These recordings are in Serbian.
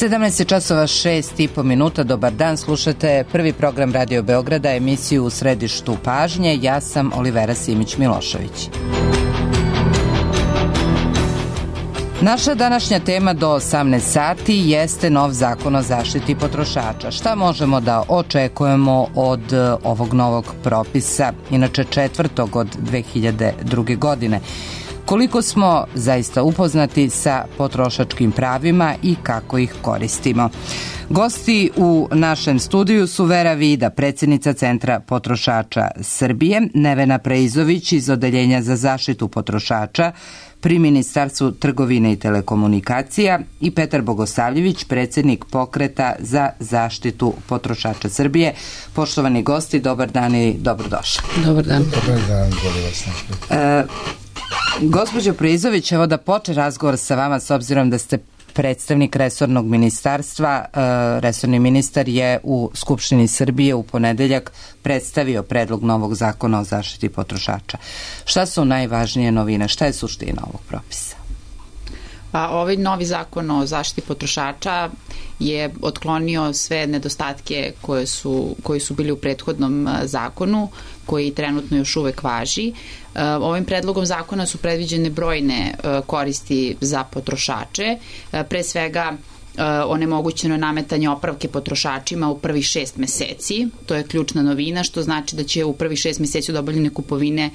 17 časova 6,5 dobar dan, slušate prvi program Radio Beograda, emisiju U središtu pažnje, ja sam Olivera Simić-Milošević. Naša današnja tema do 18 sati jeste nov zakon o zaštiti potrošača. Šta možemo da očekujemo od ovog novog propisa, inače četvrtog od 2002. godine? Koliko smo zaista upoznati sa potrošačkim pravima i kako ih koristimo? Gosti u našem studiju su Vera Vida, predsjednica Centra potrošača Srbije, Nevena Preizović iz Odeljenja za zaštitu potrošača pri Ministarstvu trgovine i telekomunikacija i Petar Bogosavljević, predsjednik Pokreta za zaštitu potrošača Srbije. Poštovani gosti, dobar dan i dobrodošli. Dobar dan. Dobar dan, bolje vas našli. Gospođo Preizović, evo da počne razgovor sa vama s obzirom da ste predstavnik resornog ministarstva. Resorni ministar je u Skupštini Srbije u ponedeljak predstavio predlog novog zakona o zaštiti potrošača. Šta su najvažnije novine? Šta je suština ovog propisa? Pa, ovaj novi zakon o zaštiti potrošača je otklonio sve nedostatke koji su bili u prethodnom zakonu, koji trenutno još uvek važi. Ovim predlogom zakona su predviđene brojne koristi za potrošače. Pre svega, onemogućeno je nametanje opravke potrošačima u prvih 6 meseci. To je ključna novina, što znači da će u prvih 6 meseci od obavljene kupovine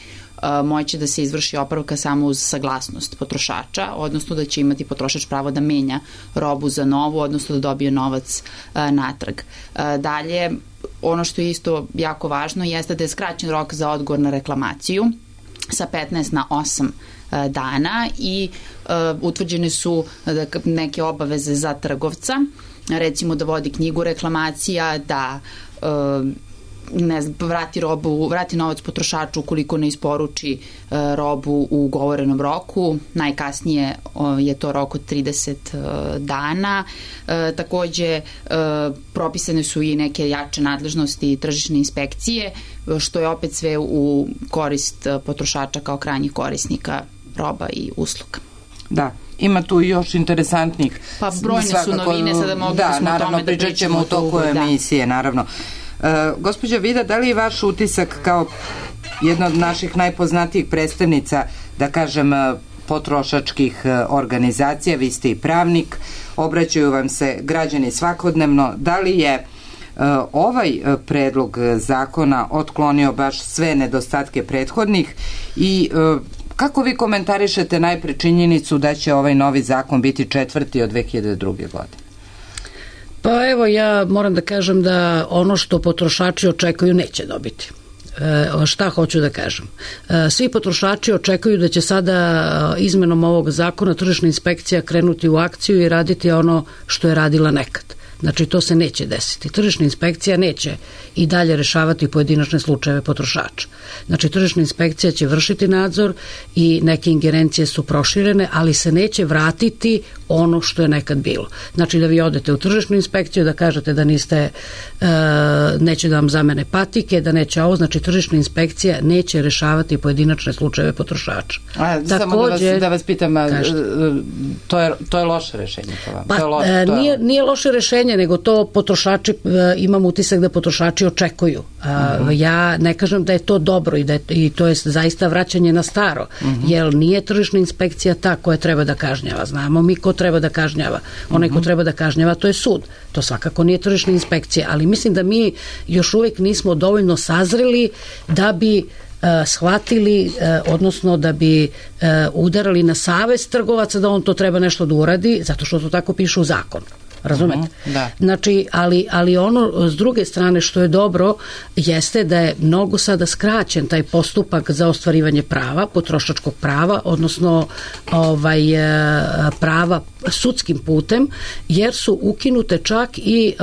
moći da se izvrši opravka samo uz saglasnost potrošača, odnosno da će imati potrošač pravo da menja robu za novu, odnosno da dobije novac natrag. Dalje, ono što je isto jako važno jeste da je skraćen rok za odgovor na reklamaciju sa 15 na 8 dana i utvrđene su neke obaveze za trgovca, recimo da vodi knjigu reklamacija, da vrati novac potrošaču ukoliko ne isporuči robu u ugovorenom roku. Najkasnije je to rok od 30 dana. Takođe, propisane su i neke jače nadležnosti tržišne inspekcije, što je opet sve u korist potrošača kao krajnjih korisnika roba i usluga. Da. Ima tu još interesantnih... Pa brojne su novine, sada mogli smo o tome da pričamo. Da, naravno, pričat ćemo u toku emisije, naravno. Gospođa Vida, da li je vaš utisak kao jedna od naših najpoznatijih predstavnica, da kažem, potrošačkih organizacija, vi ste i pravnik, obraćaju vam se građani svakodnevno, da li je ovaj predlog zakona otklonio baš sve nedostatke prethodnih i kako vi komentarišete najpre činjenicu da će ovaj novi zakon biti četvrti od 2002. godine? Pa evo, ja moram da kažem da ono što potrošači očekuju neće dobiti. Šta hoću da kažem? Svi potrošači očekuju da će sada izmenom ovog zakona tržišna inspekcija krenuti u akciju i raditi ono što je radila nekad. Znači, to se neće desiti. Tržišna inspekcija neće i dalje rešavati pojedinačne slučajeve potrošača. Znači, tržišna inspekcija će vršiti nadzor i neke ingerencije su proširene, ali se neće vratiti ono što je nekad bilo. Znači, da vi odete u tržišnu inspekciju, da kažete da neće da vam zamene patike, da neće ovo, znači tržišna inspekcija neće rešavati pojedinačne slučajeve potrošača. Samo da vas pitam, to je loše rešenje po vam? Pa, nije loše rešenje, nego to potrošači, imam utisak da potrošači očekuju. Ja ne kažem da je to dobro i to je zaista vraćanje na staro, jer nije tržišna inspekcija ta koja treba da kažnjava. Znamo mi ko treba da kažnjava. Onaj ko treba da kažnjava, to je sud. To svakako nije tržišna inspekcija, ali mislim da mi još uvijek nismo dovoljno sazreli da bi shvatili, odnosno da bi udarali na savest trgovaca da on to treba nešto da uradi, zato što to tako piše u zakonu. Razumete? Da. Znači, ali ono s druge strane što je dobro jeste da je mnogo sada skraćen taj postupak za ostvarivanje prava, potrošačkog prava, odnosno prava sudskim putem, jer su ukinute čak i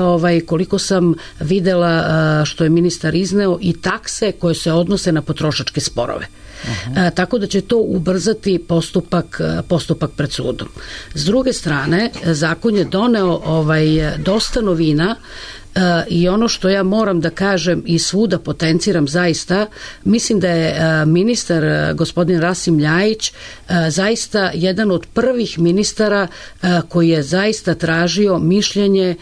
koliko sam videla što je ministar izneo i takse koje se odnose na potrošačke sporove. Tako da će to ubrzati postupak pred sudom. S druge strane, zakon je doneo dosta novina. I ono što ja moram da kažem i svuda potenciram zaista, mislim da je ministar gospodin Rasim Ljajić zaista jedan od prvih ministara koji je zaista tražio mišljenje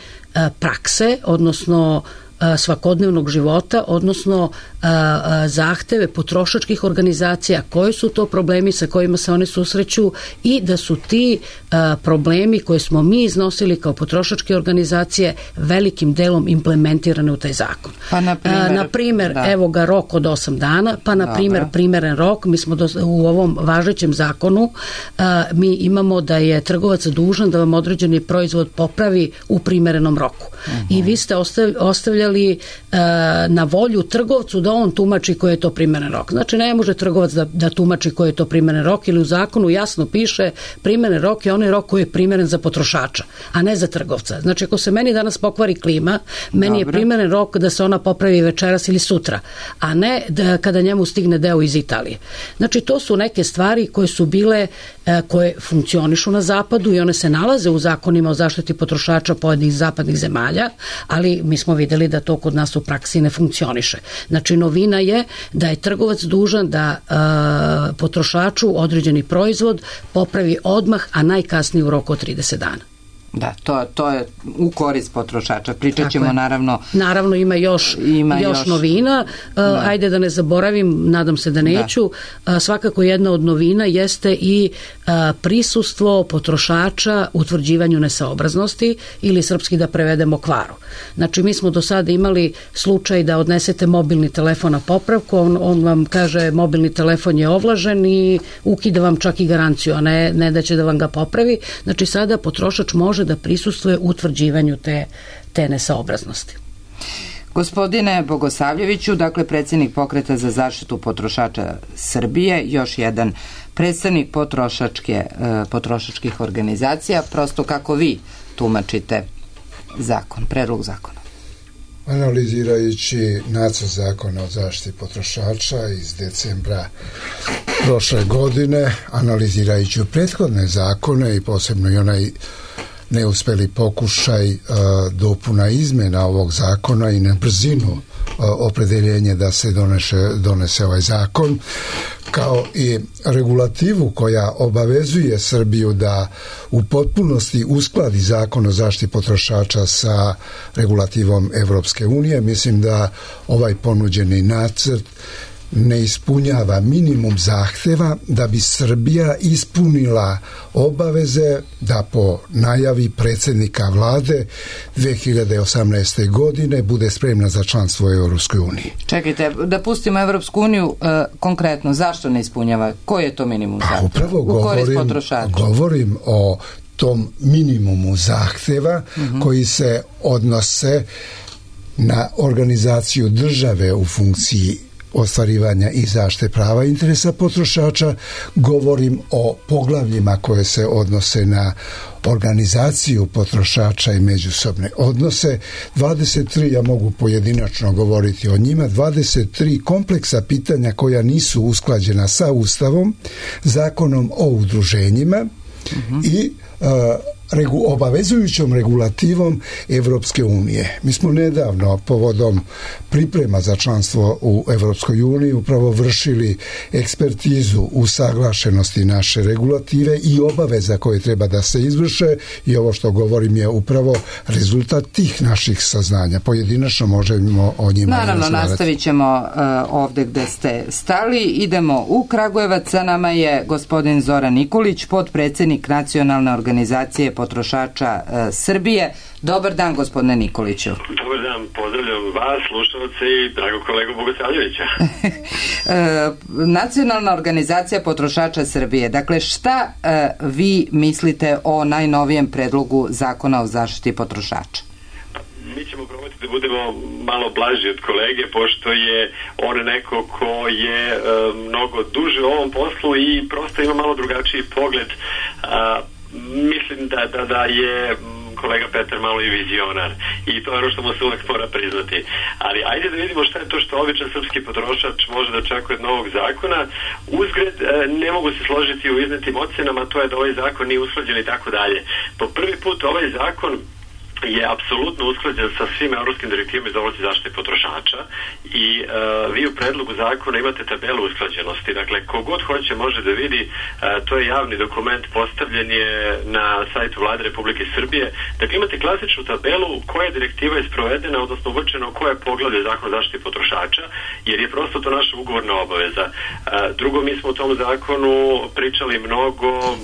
prakse, odnosno svakodnevnog života, odnosno zahteve potrošačkih organizacija, koji su to problemi sa kojima se one susreću i da su ti problemi koje smo mi iznosili kao potrošačke organizacije velikim delom implementirane u taj zakon. Pa na primjer, evo ga rok od 8 dana, pa na primjer primeren rok, mi smo u ovom važećem zakonu mi imamo da je trgovac dužan da vam određeni proizvod popravi u primerenom roku. I vi ste ostavljali na volju trgovcu da on tumači koji je to primeren rok. Znači ne može trgovac da tumači koji je to primeren rok, ili u zakonu jasno piše primeren rok je onaj rok koji je primeren za potrošača, a ne za trgovca. Znači ako se meni danas pokvari klima, meni je primeren rok da se ona popravi večeras ili sutra, a ne kada njemu stigne deo iz Italije. Znači to su neke stvari koje su bile, koje funkcionišu na zapadu i one se nalaze u zakonima o zaštiti potrošača pojedinih zapadnih zemalja, ali mi smo videli da to kod nas u praksi ne funkcioniše. Znači novina je da je trgovac dužan da potrošaču određeni proizvod popravi odmah, a najkasnije u roku od 30 dana. Da, to je u korist potrošača. Pričat ćemo Naravno ima još novina. Ajde da ne zaboravim, nadam se da neću. Svakako jedna od novina jeste i prisustvo potrošača utvrđivanju nesaobraznosti ili srpski da prevedemo kvaru. Znači mi smo do sada imali slučaj da odnesete mobilni telefon na popravku, on vam kaže mobilni telefon je ovlažen i ukida vam čak i garanciju, a ne da će da vam ga popravi. Znači sada potrošač može da prisustvuje utvrđivanju te nesaobraznosti. Gospodine Bogosavljeviću, dakle predsjednik Pokreta za zaštitu potrošača Srbije, još jedan predstavnik potrošačkih organizacija, prosto kako vi tumačite predlog zakona? Analizirajući nacrt zakona o zaštiti potrošača iz decembra prošle godine, analizirajući prethodne zakone i posebno i onaj neuspeli pokušaj dopuna izmena ovog zakona i na brzinu opredeljenje da se donese ovaj zakon, kao i regulativu koja obavezuje Srbiju da u potpunosti uskladi zakon o zaštiti potrošača sa regulativom Evropske unije. Mislim da ovaj ponuđeni nacrt ne ispunjava minimum zahteva da bi Srbija ispunila obaveze da po najavi predsjednika vlade 2018. godine bude spremna za članstvo u Evropskoj uniji. Čekajte, da pustimo Evropsku uniju konkretno, zašto ne ispunjava? Koji je to minimum zahteva? Upravo govorim o tom minimumu zahteva koji se odnose na organizaciju države u funkciji ostvarivanja i zaštite prava i interesa potrošača. Govorim o poglavljima koje se odnose na organizaciju potrošača i međusobne odnose. 23, ja mogu pojedinačno govoriti o njima, 23 kompleksa pitanja koja nisu usklađena sa Ustavom, zakonom o udruženjima i obavezujućom regulativom Evropske unije. Mi smo nedavno povodom priprema za članstvo u Evropskoj uniji upravo vršili ekspertizu usaglašenosti naše regulative i obaveza koje treba da se izvrše, i ovo što govorim je upravo rezultat tih naših saznanja. Pojedinačno možemo o njima naravno nastavit ćemo ovde gde ste stali. Idemo u Kragujevac. Sa nama je gospodin Zoran Nikolić, potpredsednik Nacionalne organizacije potrošača Srbije. Dobar dan, gospodine Nikoliću. Dobar dan, pozdravljam vas, slušalce i dragog kolegu Bogosavljevića. Nacionalna organizacija potrošača Srbije. Dakle, šta vi mislite o najnovijem predlogu zakona o zaštiti potrošača? Mi ćemo probati da budemo malo blaži od kolege, pošto je on neko ko je mnogo duže u ovom poslu i prosto ima malo drugačiji pogled. Mislim da je kolega Petar malo i vizionar i to je ono što mu se uvek mora priznati. Ali ajde da vidimo šta je to što običan srpski potrošač može da očekuje od novog zakona. Uzgred, ne mogu se složiti u iznetim ocenama, to je da ovaj zakon nije usklađen i tako dalje. Po prvi put ovaj zakon je apsolutno usklađen sa svim evropskim direktivama iz oblasti zaštite potrošača i vi u predlogu zakona imate tabelu usklađenosti. Dakle, kogod hoće može da vidi, to je javni dokument, postavljen je na sajtu Vlade Republike Srbije. Dakle, imate klasičnu tabelu koja direktiva je sprovedena, odnosno uvrčeno koje poglavlje zakona o zaštiti potrošača, jer je prosto to naša ugovorna obaveza. Drugo, mi smo u tom zakonu pričali mnogo,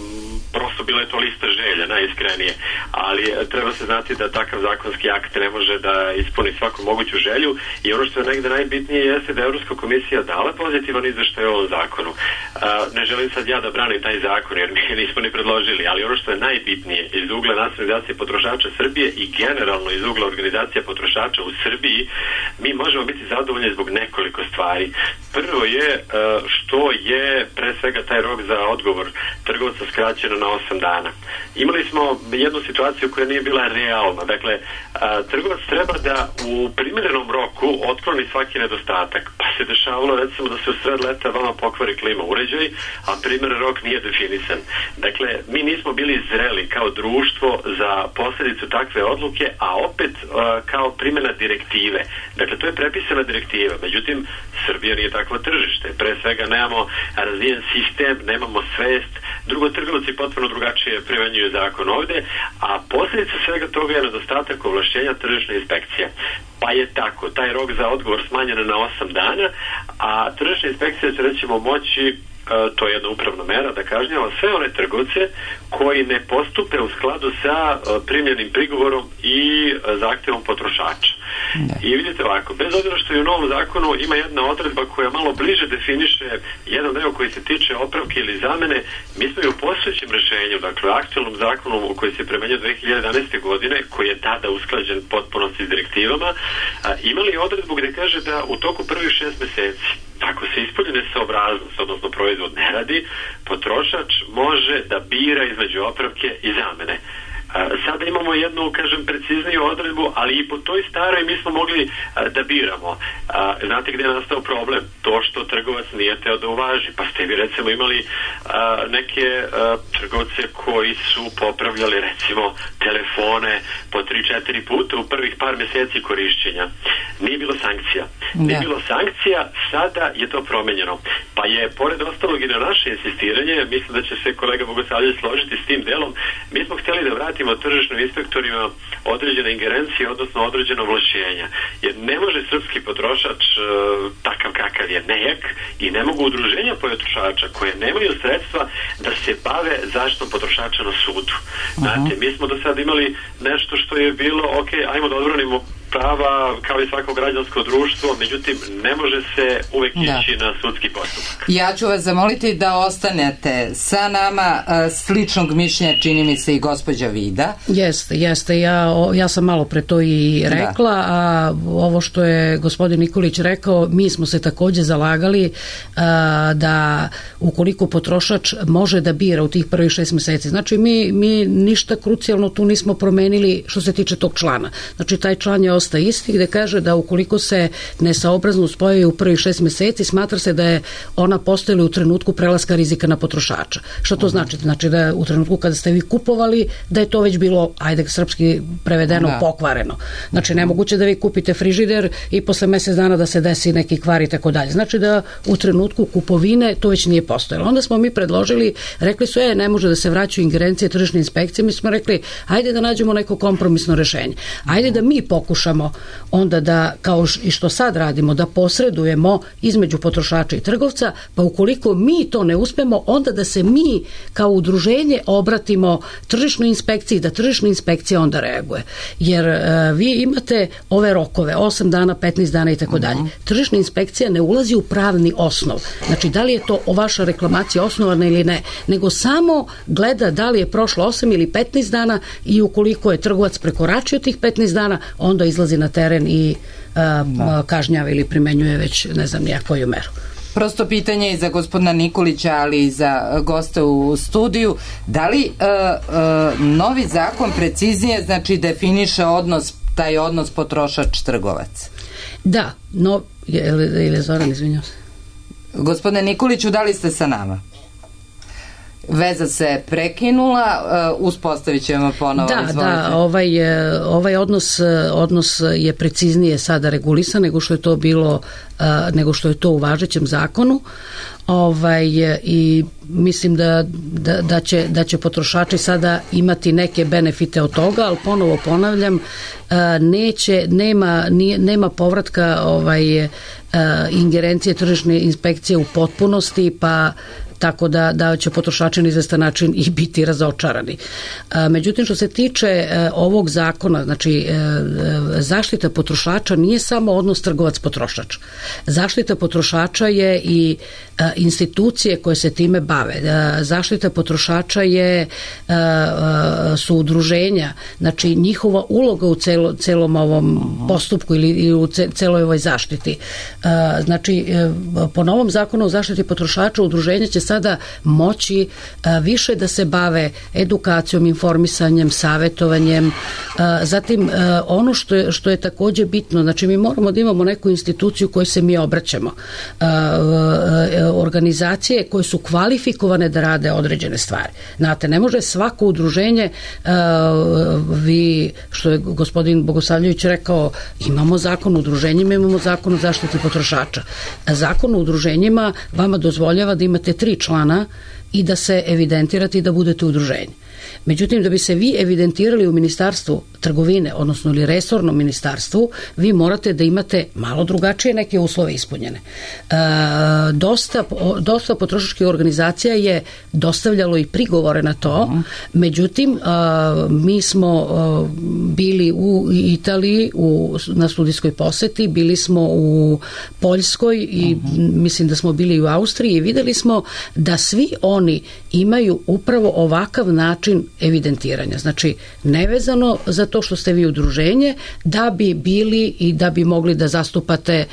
prosto bila je to lista želja, najiskrenije, ali treba se znati da takav zakonski akt ne može da ispuni svaku moguću želju i ono što je negde najbitnije jeste da je Evropska komisija dala pozitivan izveštaj o ovom zakonu. Ne želim sad ja da branim taj zakon jer mi nismo ni predložili, ali ono što je najbitnije iz ugla Nacionalne organizacije potrošača Srbije i generalno iz ugla organizacija potrošača u Srbiji, mi možemo biti zadovoljni zbog nekoliko stvari. Prvo je što je pre svega taj rok za odgovor trgovca skraćeno na 8 dana. Imali smo jednu situaciju koja nije bila realna. Dakle, trgovac treba da u primjerenom roku otkloni svaki nedostatak. Pa se dešavalo recimo da se u sred leta vama pokvari klima uređaj, a primjeren rok nije definisan. Dakle, mi nismo bili zreli kao društvo za posljedicu takve odluke, a opet kao primjena direktive. Dakle, to je prepisana direktiva. Međutim, Srbija nije takvo tržište. Pre svega nemamo razvijen sistem, nemamo svest. Drugo, trgovci potpuno drugačije primenjuju zakon ovde, a posljedica svega toga je nedostatak ovlašćenja tržišne inspekcije. Pa je tako, taj rok za odgovor smanjen na 8 dana, a tržišna inspekcija će recimo moći, to je jedna upravna mera, da kažnjava sve one trgovce koji ne postupe u skladu sa primljenim prigovorom i zahtjevom potrošača. I vidite ovako, bez obzira što je u novom zakonu ima jedna odredba koja malo bliže definiše jedan deo koji se tiče opravke ili zamene, mi smo i u postojećem rešenju, dakle aktualnom zakonu koji se primenjuje 2011. godine, koji je tada usklađen potpunosti s direktivama, imali odredbu gde kaže da u toku prvih 6 meseci, ako se ispolji nesaobraznost, odnosno proizvod ne radi, potrošač može da bira između opravke i zamene. Sada imamo jednu, kažem, precizniju odredbu, ali i po toj staroj mi smo mogli da biramo. Znate gde je nastao problem? To što trgovac nije teo da uvaži. Pa ste vi recimo imali neke trgovce koji su popravljali recimo telefone po 3-4 puta u prvih par meseci korišćenja. Nije bilo sankcija. Nije bilo sankcija, sada je to promenjeno. Pa je, pored ostalog i na naše insistiranje, mislim da će se kolega Bogosavljević složiti s tim delom, mi smo htjeli da vratimo tržišnim inspektorima određene ingerencije, odnosno određeno ovlašćenja. Jer ne može srpski potrošač takav kakav je nejak i ne mogu udruženja potrošača koje nemaju sredstva da se bave zaštitom potrošača na sudu. Znate, mi smo do sada imali nešto što je bilo, ok, ajmo da odbranimo prava kao i svako građansko društvo, međutim ne može se uvek ići na sudski postupak. Ja ću vas zamoliti da ostanete sa nama, sličnog mišljenja čini mi se i gospođa Vida. Jeste, ja sam malo pre to i rekla, a ovo što je gospodin Nikolić rekao, mi smo se takođe zalagali da ukoliko potrošač može da bira u tih prvih 6 meseci, znači mi ništa krucijalno tu nismo promenili što se tiče tog člana. Znači taj član je ostaje isti gde kaže da ukoliko se nesaobraznost pojavi u prvih 6 meseci, smatra se da je ona postojala u trenutku prelaska rizika na potrošača. Što to znači? Znači da u trenutku kada ste vi kupovali, da je to već bilo, ajde srpski prevedeno, pokvareno. Znači nemoguće da vi kupite frižider i posle mesec dana da se desi neki kvar i tako dalje. Znači da u trenutku kupovine to već nije postojalo. Onda smo mi predložili, rekli su, ne može da se vraćaju ingerencije tržišne inspekcije, mi smo rekli, ajde da nađemo neko kompromisno rešenje. Ajde da mi pokušamo onda da, kao i što sad radimo, da posredujemo između potrošača i trgovca, pa ukoliko mi to ne uspemo, onda da se mi kao udruženje obratimo tržišnoj inspekciji, da tržišna inspekcija onda reaguje. Jer vi imate ove rokove, 8 dana, 15 dana i tako dalje. Tržišna inspekcija ne ulazi u pravni osnov. Znači, da li je to vaša reklamacija osnovana ili ne, nego samo gleda da li je prošlo 8 ili 15 dana i ukoliko je trgovac prekoračio tih 15 dana, onda izlazi na teren i kažnjava ili primenjuje već ne znam nija koju meru. Prosto pitanje i za gospodina Nikolića, ali i za goste u studiju. Da li novi zakon preciznije znači definiše taj odnos potrošač-trgovac? Da, ili Zoran, izvinjam se. Gospodine Nikoliću, da li ste sa nama? Veza se prekinula, uspostavit ćemo ponovo. Da, ovaj odnos je preciznije sada regulisan nego što je to bilo, nego što je to u važećem zakonu. I mislim da će potrošači sada imati neke benefite od toga, ali ponovo ponavljam, nema povratka ingerencije tržišne inspekcije u potpunosti, pa tako da će potrošači na izvestan način i biti razočarani. Međutim, što se tiče ovog zakona, znači zaštita potrošača nije samo odnos trgovac-potrošač. Zaštita potrošača je i institucije koje se time bave. Zaštita potrošača su udruženja, znači njihova uloga u celom ovom postupku ili u celoj ovoj zaštiti. Znači, po novom zakonu o zaštiti potrošača udruženja će sada moći više da se bave edukacijom, informisanjem, savjetovanjem. Zatim, ono što je takođe bitno, znači mi moramo da imamo neku instituciju kojoj se mi obraćamo. Organizacije koje su kvalifikovane da rade određene stvari. Znate, ne može svako udruženje, što je gospodin Bogosavljević rekao, imamo zakon o udruženjima, imamo zakon o zaštiti potrošača. Zakon o udruženjima vama dozvoljava da imate 3 člana i da se evidentirate i da budete udruženje. Međutim, da bi se vi evidentirali u Ministarstvu trgovine, odnosno ili resornom ministarstvu, vi morate da imate malo drugačije neke uslove ispunjene. Dosta potrošačkih organizacija je dostavljalo i prigovore na to, međutim, mi smo bili u Italiji na studijskoj poseti, bili smo u Poljskoj i mislim da smo bili i u Austriji i videli smo da svi oni imaju upravo ovakav način evidentiranja. Znači, nevezano za to što ste vi udruženje, da bi bili i da bi mogli da zastupate,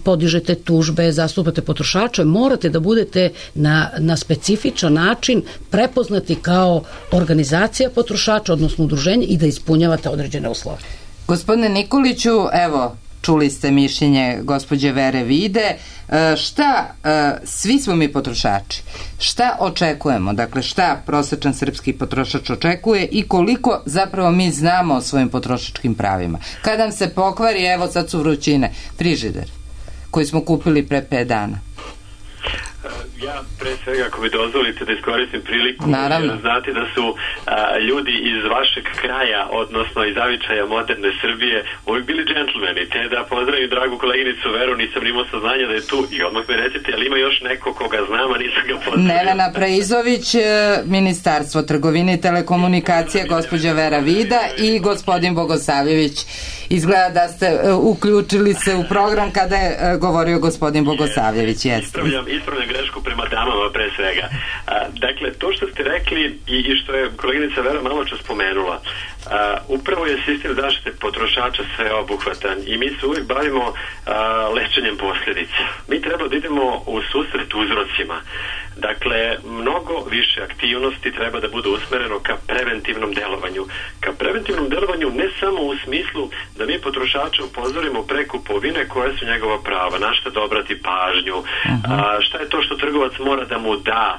podižete tužbe, zastupate potrošače, morate da budete na specifičan način prepoznati kao organizacija potrošača, odnosno udruženje, i da ispunjavate određene uslove. Gospodine Nikoliću, evo, čuli ste mišljenje gospođe Vere Vide. Svi smo mi potrošači, šta očekujemo, dakle šta prosečan srpski potrošač očekuje i koliko zapravo mi znamo o svojim potrošačkim pravima? Kad nam se pokvari, evo sad su vrućine, frižider koji smo kupili pre 5 dana. Ja pre svega, ako mi dozvolite da iskoristim priliku, znate da su ljudi iz vašeg kraja, odnosno iz zavičaja moderne Srbije, uvijek bili džentlmeni, te da pozdravim dragu koleginicu Veru, nisam imao saznanja da je tu i odmah me recite, ali ima još neko koga znam, a nisam ga pozdravio. Nevena Preizović, Ministarstvo trgovine i telekomunikacije, gospođa Vera Vida i gospodin Bogosavljević. Izgleda da ste uključili se u program kada je govorio gospodin Bogosavljević. Ispravljam grešku prema damama pre svega. Dakle, to što ste rekli i što je koleginica Vera malo čas spomenula, upravo je sistem zaštite potrošača sveobuhvatan i mi se uvijek bavimo lečenjem posljedica. Mi treba da idemo u susret uzrocima. Dakle, mnogo više aktivnosti treba da bude usmereno ka preventivnom delovanju. Ka preventivnom delovanju ne samo u smislu da mi potrošača upozorimo pre kupovine koje su njegova prava, na šta da obrati pažnju, šta je to što trgovac mora da mu da.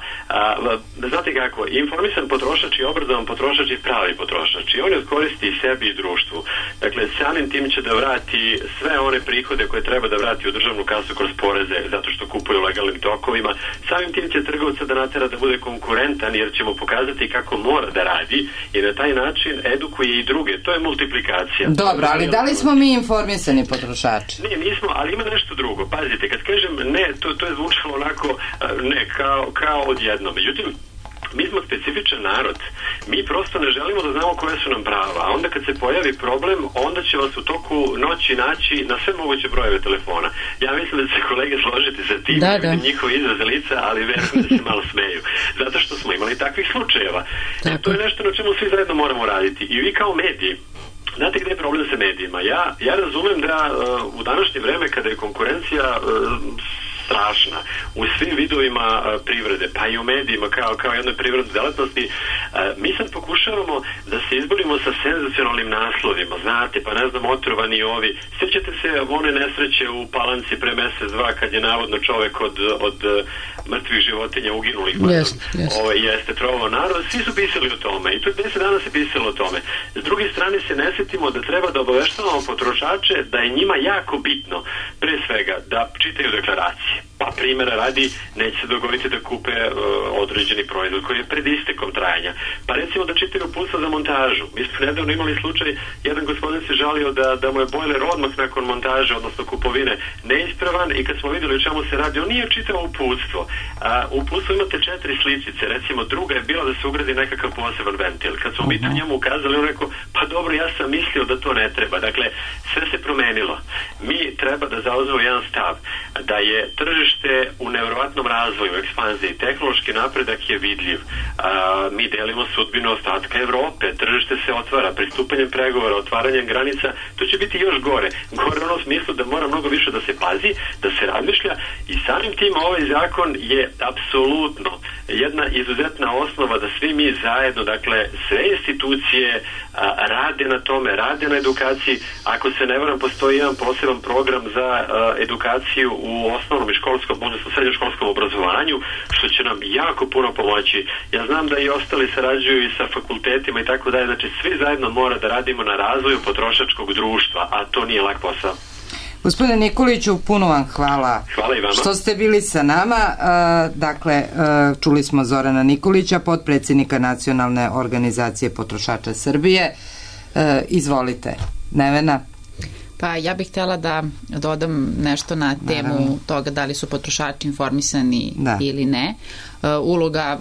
Znate kako, informisan potrošač i obrazovan potrošač i pravi potrošač i on je koristi i sebi i društvu. Dakle, samim tim će da vrati sve one prihode koje treba da vrati u državnu kasu kroz poreze, zato što kupuju legalnim tokovima. Samim tim će trgovca da natera da bude konkurentan, jer ćemo pokazati kako mora da radi i na taj način edukuje i druge. To je multiplikacija. Dobro, ali da li smo mi informisani potrošači? Ne, nismo, ali ima nešto drugo. Pazite, kad kažem ne, to je zvučalo onako ne, kao odjedno. Međutim, mi smo specifičan narod. Mi prosto ne želimo da znamo koje su nam prava. A onda kad se pojavi problem, onda će vas u toku noći naći na sve moguće brojeve telefona. Ja mislim da će kolege složiti sa tim, njihove izraze lica, ali verujem da se malo smeju. Zato što smo imali takvih slučajeva. To je nešto na čemu svi zajedno moramo raditi. I vi kao mediji, znate gde je problem sa medijima? Ja razumem da u današnje vreme kada je konkurencija strašna u svim vidovima privrede, pa i u medijima kao jednoj privrednoj delatnosti. Mi sad pokušavamo da se izborimo sa senzacionalnim naslovima, znate, pa ne znam, otrovani ovi. Sjećate se one nesreće u Palanci pre mesec, dva, kad je navodno čovek od mrtvih životinja uginulih, jeste trovao narod, svi su pisali o tome i to 10 dana se pisalo o tome. S druge strane se ne sjetimo da treba da obaveštavamo potrošače da je njima jako bitno, pre svega, da čitaju deklaracije. Pa primjera radi, neće se dogoditi da kupe određeni proizvod koji je pred istekom trajanja. Pa recimo da čitaju uputstva za montažu. Mi smo nedavno imali slučaj, jedan gospodin se žalio da mu je bojler odmah nakon montaže, odnosno kupovine, neispravan i kad smo vidjeli o čemu se radi, on nije čitao uputstvo. U uputstvu imate 4 slicice, recimo druga je bila da se ugradi nekakav poseban ventil. Kad smo mi to njemu ukazali, on rekao, pa dobro, ja sam mislio da to ne treba. Dakle, sve se promenilo. Mi treba da zauzmemo jedan stav, da je tržište u nevjerovatnom razvoju, ekspanziji, tehnološki napredak je vidljiv. Mi delimo sudbinu ostatka Evrope, tržište se otvara, pristupanjem pregovora, otvaranjem granica, to će biti još gore. Gore u onom smislu da mora mnogo više da se pazi, da se razmišlja i samim tim ovaj zakon je apsolutno jedna izuzetna osnova da svi mi zajedno, dakle sve institucije rade na tome, rade na edukaciji. Ako se ne varam, postoji jedan poseban program za edukaciju u osnovnom i školskom, odnosno srednjoškolskom obrazovanju, što će nam jako puno pomoći. Ja znam da i ostali sarađuju i sa fakultetima i tako dalje, znači svi zajedno mora da radimo na razvoju potrošačkog društva, a to nije lak posao. Gospodine Nikoliću, puno vam hvala što ste bili sa nama. Dakle, čuli smo Zorana Nikolića, potpredsjednika Nacionalne organizacije potrošača Srbije. Izvolite, Nevena. Pa ja bih htjela da dodam nešto na temu toga da li su potrošači informisani ili ne. Uloga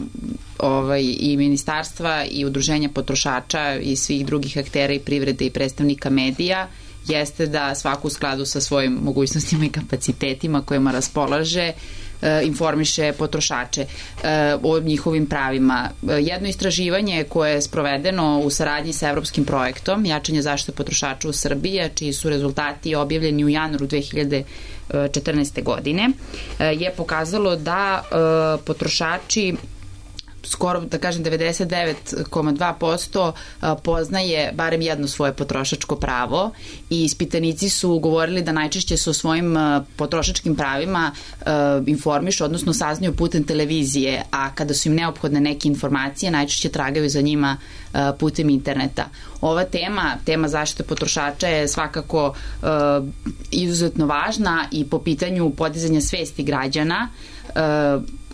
i ministarstva i udruženja potrošača i svih drugih aktera i privrede i predstavnika medija jeste da svako u skladu sa svojim mogućnostima i kapacitetima kojima raspolaže informiše potrošače o njihovim pravima. Jedno istraživanje koje je sprovedeno u saradnji sa evropskim projektom Jačanje zaštite potrošača u Srbiji, čiji su rezultati objavljeni u januaru 2014. godine, je pokazalo da potrošači skoro, da kažem, 99,2% poznaje barem jedno svoje potrošačko pravo i ispitanici su govorili da najčešće se o svojim potrošačkim pravima informišu, odnosno saznaju putem televizije, a kada su im neophodne neke informacije, najčešće tragaju za njima putem interneta. Ova tema zaštite potrošača je svakako izuzetno važna i po pitanju podizanja svesti građana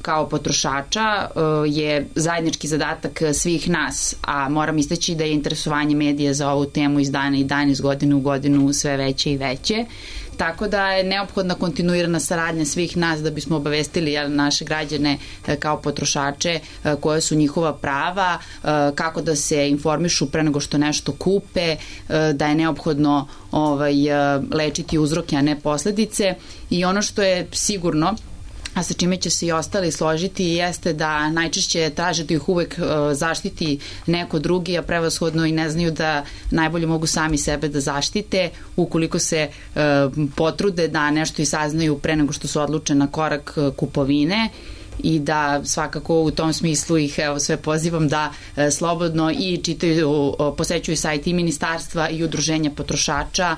kao potrošača je zajednički zadatak svih nas, a moram istaći da je interesovanje medija za ovu temu iz dana i dan, iz godine u godinu sve veće i veće. Tako da je neophodna kontinuirana saradnja svih nas da bismo obavestili naše građane kao potrošače koje su njihova prava, kako da se informišu pre nego što nešto kupe, da je neophodno lečiti uzroke, a ne posledice. I ono što je sigurno, a sa čime će se i ostali složiti, jeste da najčešće traže da ih uvek zaštiti neko drugi, a prevashodno i ne znaju da najbolje mogu sami sebe da zaštite ukoliko se potrude da nešto i saznaju pre nego što su odluče na korak kupovine. I da svakako u tom smislu ih sve pozivam da slobodno i čitaju, posećuju sajt i ministarstva i udruženja potrošača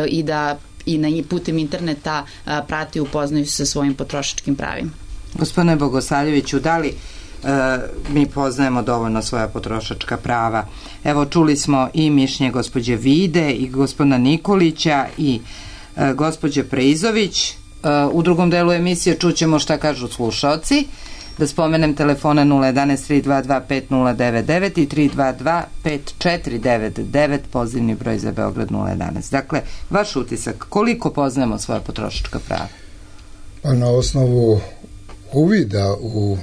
i da i putem interneta prati i upoznaju se sa svojim potrošačkim pravima. Gospodine Bogosavljeviću, da li mi poznajemo dovoljno svoja potrošačka prava? Evo, čuli smo i mišljenje gospođe Vide i gospodina Nikolića i gospođe Preizović. U drugom delu emisije čućemo šta kažu slušaoci. Da spomenem telefone 011 322 5099 i 322 5499, pozivni broj za Beograd 011. Dakle, vaš utisak, koliko poznajemo svoja potrošačka prava? Pa na osnovu uvida u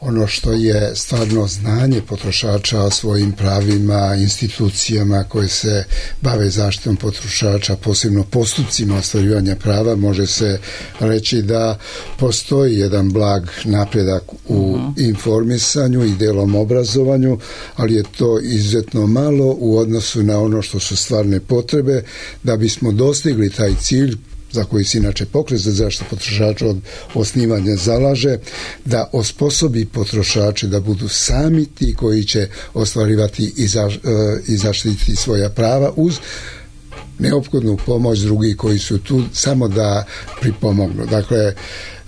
ono što je stvarno znanje potrošača o svojim pravima, institucijama koje se bave zaštitom potrošača, posebno postupcima ostvarivanja prava, može se reći da postoji jedan blag napredak u informisanju i delom obrazovanju, ali je to izuzetno malo u odnosu na ono što su stvarne potrebe da bismo dostigli taj cilj za koji se inače Pokret za zaštitu potrošača od osnivanja zalaže, da osposobi potrošače da budu sami ti koji će ostvarivati i zaštititi svoja prava uz neophodnu pomoć drugih koji su tu samo da pripomognu. Dakle,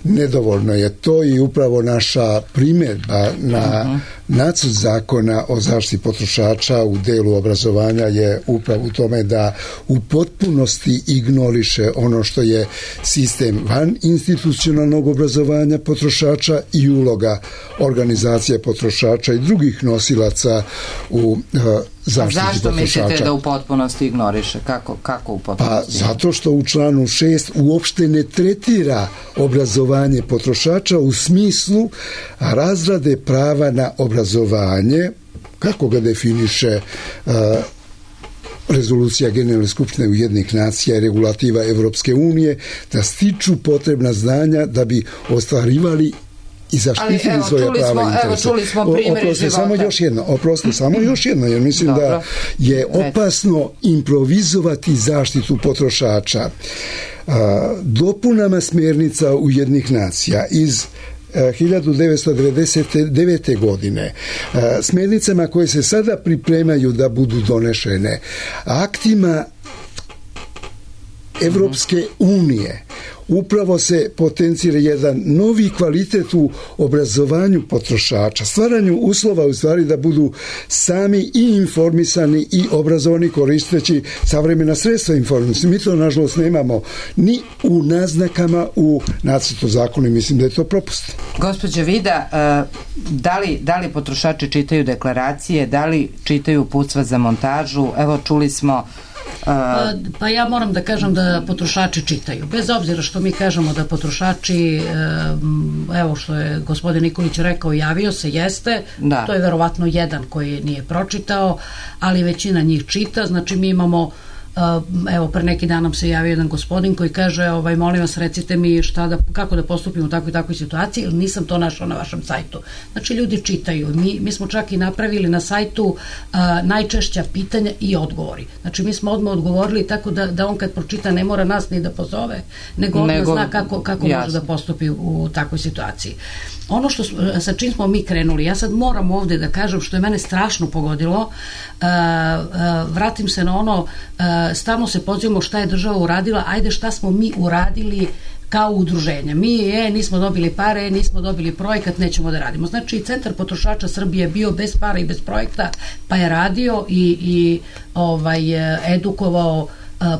nedovoljno je to i upravo naša primjedba na nacrt zakona o zaštiti potrošača u delu obrazovanja je upravo u tome da u potpunosti ignoriše ono što je sistem van institucionalnog obrazovanja potrošača i uloga organizacije potrošača i drugih nosilaca u zaštiti potrošača. Zašto mislite da u potpunosti ignoriše? Kako u potpunosti? Pa zato što u članu 6 uopšte ne tretira obrazovanje potrošača u smislu razrade prava na obrazovanje, kako ga definiše rezolucija Generalne skupštine Ujedinjenih nacija i regulativa Evropske unije, da stiču potrebna znanja da bi ostvarivali i zaštitili svoje prava i interese. Čuli smo primjer života. Samo još jedno, jer mislim da je opasno improvizovati zaštitu potrošača. Dopunama smjernica Ujedinjenih nacija iz 1999. godine, smjernicama koje se sada pripremaju da budu donešene, aktima Evropske unije, upravo se potencira jedan novi kvalitet u obrazovanju potrošača, stvaranju uslova u stvari da budu sami i informisani i obrazovani koristeći savremena sredstva informisanja. Mi to nažalost nemamo ni u naznakama u nacrtu zakona i mislim da je to propust. Gospođa Vida, da li potrošači čitaju deklaracije, da li čitaju uputstva za montažu? Evo, čuli smo Pa ja moram da kažem da potrošači čitaju. Bez obzira što mi kažemo da potrošači, evo što je gospodin Nikolić rekao, javio se, jeste, to je verovatno jedan koji nije pročitao, ali većina njih čita, znači mi imamo, evo pre neki dan nam se javio jedan gospodin koji kaže, molim vas recite mi kako da postupim u takvoj i takvoj situaciji, ili nisam to našao na vašem sajtu. Znači ljudi čitaju. Mi smo čak i napravili na sajtu najčešća pitanja i odgovori. Znači mi smo odmah odgovorili tako da on kad pročita ne mora nas ni da pozove, nego odmah zna kako može da postupi u takvoj situaciji. Ono sa čim smo mi krenuli, ja sad moram ovde da kažem što je mene strašno pogodilo, vratim se na ono, stalno se pozivamo šta je država uradila, ajde šta smo mi uradili kao udruženja. Mi nismo dobili pare, nismo dobili projekat, nećemo da radimo. Znači, Centar potrošača Srbije je bio bez para i bez projekta, pa je radio i edukovao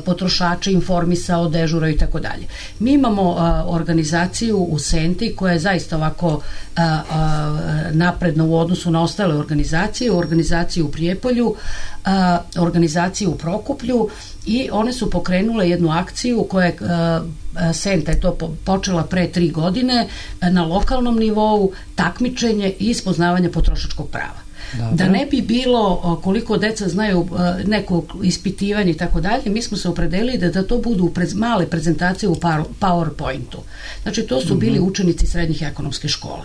potrošače, informisao, dežurao i tako dalje. Mi imamo organizaciju u Senti koja je zaista ovako napredna u odnosu na ostale organizaciju u Prijepolju, organizaciju u Prokuplju i one su pokrenule jednu akciju koja je Senta je to počela pre 3 godine na lokalnom nivou, takmičenje i spoznavanje potrošačkog prava. Dobre. Da ne bi bilo koliko deca znaju neko ispitivanje i tako dalje, mi smo se opredelili da to budu male prezentacije u PowerPointu. Znači to su bili učenici srednjih ekonomskih škola.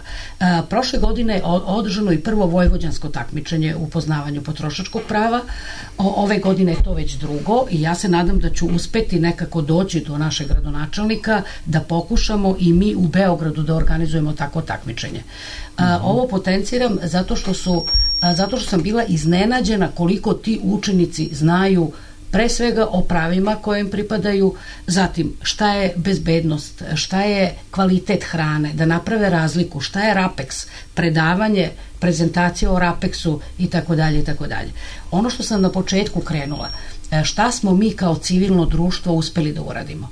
Prošle godine je održano i prvo vojvođansko takmičenje u poznavanju potrošačkog prava. Ove godine je to već drugo i ja se nadam da ću uspeti nekako doći do našeg gradonačelnika da pokušamo i mi u Beogradu da organizujemo takvo takmičenje. Ovo potenciram zato što sam bila iznenađena koliko ti učenici znaju pre svega o pravima koje im pripadaju, zatim šta je bezbednost, šta je kvalitet hrane, da naprave razliku, šta je RAPEX, predavanje, prezentacija o RAPEX-u i tako dalje i tako dalje. Ono što sam na početku krenula, šta smo mi kao civilno društvo uspeli da uradimo.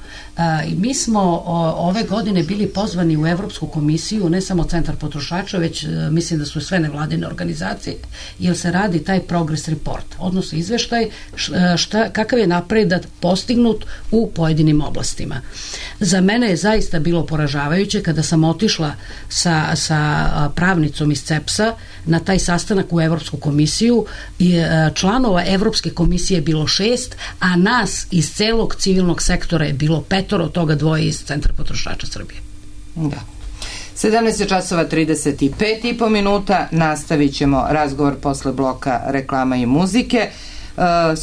Mi smo ove godine bili pozvani u Evropsku komisiju, ne samo Centar potrošača, već mislim da su sve nevladine organizacije, jer se radi taj progress report, odnosno izveštaj kakav je napredak postignut u pojedinim oblastima. Za mene je zaista bilo poražavajuće kada sam otišla sa pravnicom iz CEPS-a na taj sastanak u Evropsku komisiju i članova Evropske komisije je bilo 6, a nas iz celog civilnog sektora je bilo 5, od toga 2 iz Centra potrošača Srbije. Da. 17:35 nastavit ćemo razgovor posle bloka reklama i muzike.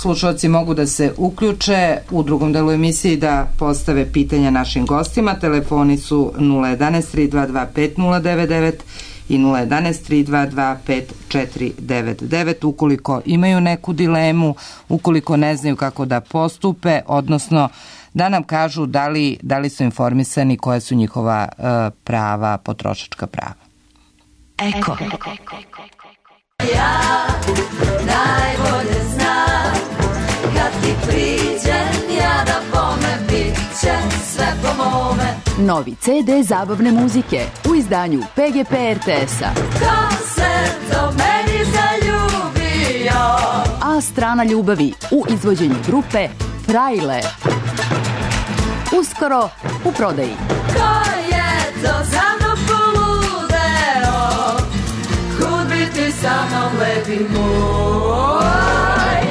slušalci mogu da se uključe u drugom delu emisiji da postave pitanja našim gostima. Telefoni su 011 322 5099 i 011 322 5499 ukoliko imaju neku dilemu, ukoliko ne znaju kako da postupe, odnosno da nam kažu da li su informisani koja su njihova prava, potrošačka prava. Eko. Ja najbolje znam kad ti priđem ja da bome bit će sve po mome. Novi CD zabavne muzike u izdanju PGP RTS-a. Ko se do meni zaljubio? A strana ljubavi u izvođenju grupe Frajle. Uskoro u prodaji. Ko je to za mnom poludeo? Kud bi ti sa mnom lepi moj?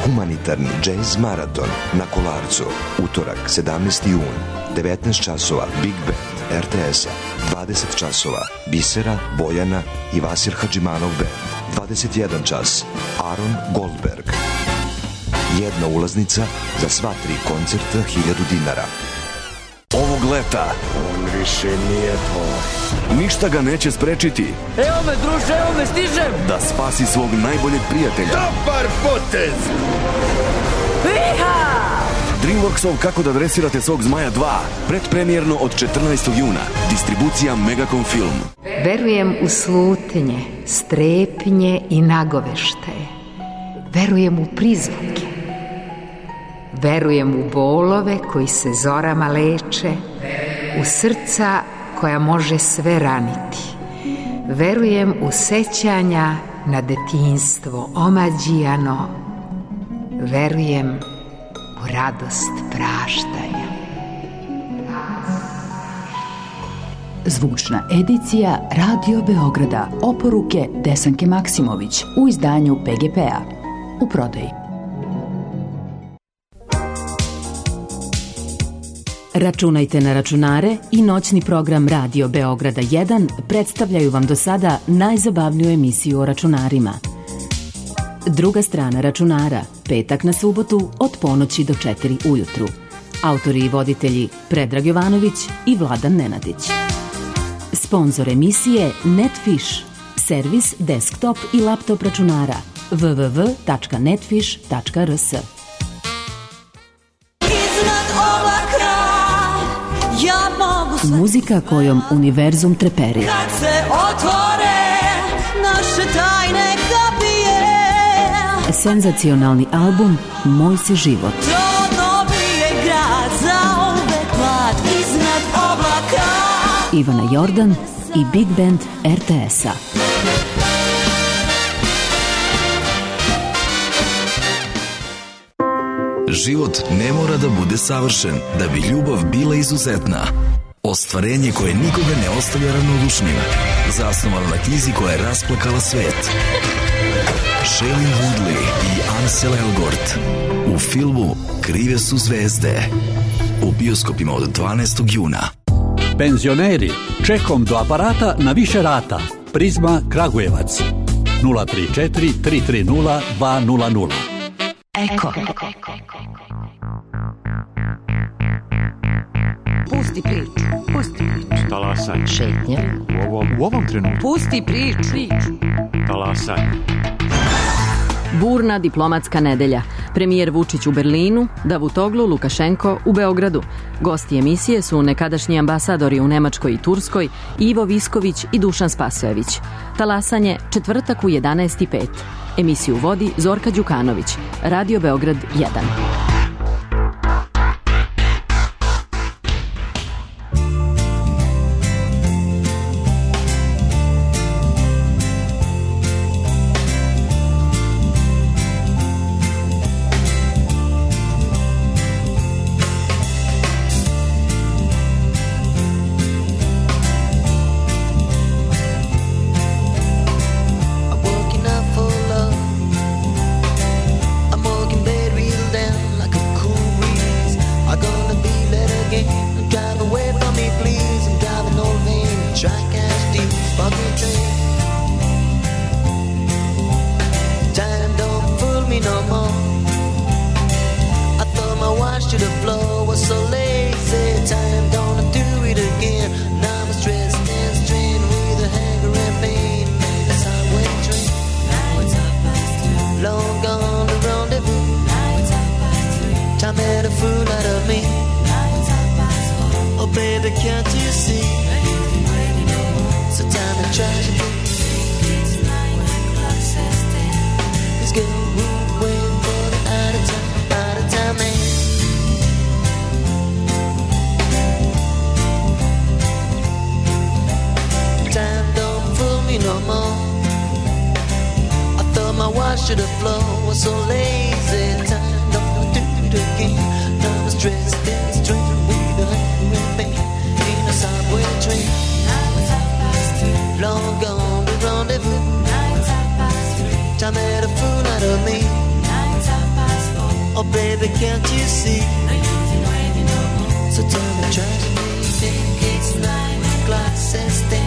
Humanitarni džez maraton na Kolarcu. Utorak 17. jun. 19 časova Big Band RTS-a. 20 časova Bisera, Bojana i Vasir Hadžimanov Band. 21 čas Aron Goldberg. Jedna ulaznica za sva 3 koncerta 1000 dinara. Ovog leta on više nije tvoj. Ništa ga neće sprečiti. Evo me druže, evo me, stižem. Da spasi svog najboljeg prijatelja. Dobar potez. Iha! Dreamworksov Kako da dresirate svog zmaja 2. Predpremijerno od 14. juna. Distribucija Megacom Film. Verujem u slutnje, strepnje i nagoveštaje. Verujem u prizvuke. Verujem u bolove koji se zorama leče, u srca koja može sve raniti. Verujem u sećanja na detinjstvo omađijano. Verujem u radost praštanja. Zvučna edicija Radio Beograda. Oporuke Desanke Maksimović u izdanju PGP-a. U prodaji. Računajte na računare i noćni program Radio Beograda 1 predstavljaju vam do sada najzabavniju emisiju o računarima. Druga strana računara, petak na subotu od ponoći do 4 ujutru. Autori i voditelji Predrag Jovanović i Vladan Nenadić. Sponzor emisije Netfish, servis desktop i laptop računara www.netfish.rs. Muzika kojom univerzum treperi. Kad se otvore naše tajne kapije. Senzacionalni album Moj si život. To dobije grad za uvek mlad iznad oblaka. Ivana Jordan i Big Band RTS-a. Život ne mora da bude savršen da bi ljubav bila izuzetna. Ostvarenje koje nikoga ne ostavlja ravnodušnim. Zasnovano na knjizi koja je rasplakala svet. Shailene Woodley i Ansel Elgort u filmu Krive su zvezde. U bioskopima od 12. juna. Penzioneri, čekom do aparata na više rata. Prizma Kragujevac 034 330 200. Eko. Pusti priču. Talasanje. Šetnja. U ovom trenutku. Pusti priču. Talasanje. Burna diplomatska nedelja. Premijer Vučić u Berlinu, Davutoglu Lukašenko u Beogradu. Gosti emisije su nekadašnji ambasadori u Nemačkoj i Turskoj, Ivo Visković i Dušan Spasojević. Talasanje, četvrtak u 11:05. Emisiju vodi Zorka Đukanović. Radio Beograd 1. Time don't fool me no more. wash to the floor, was so lazy. Time gonna do it again. Now I'm stressed and strained with a hanger and pain. In a subway train. Now it's 2:30. Long gone the rendezvous. Now it's 2:30. Time made a fool out of me. Now it's 4:30. Oh baby, can't you see? So time to try to be. It's 9 o'clock, says 10. This girl won't wait for the out of time man. Time don't fool me no more. I thought my wash to the floor was so lazy. Time don't do it again. Now I'm stressed and strained with a pain in a subway train. Long gone the rendezvous. Time made a fool out of me. Oh baby, can't you see? So tell me, try to think it's 9 o'clock, says 10.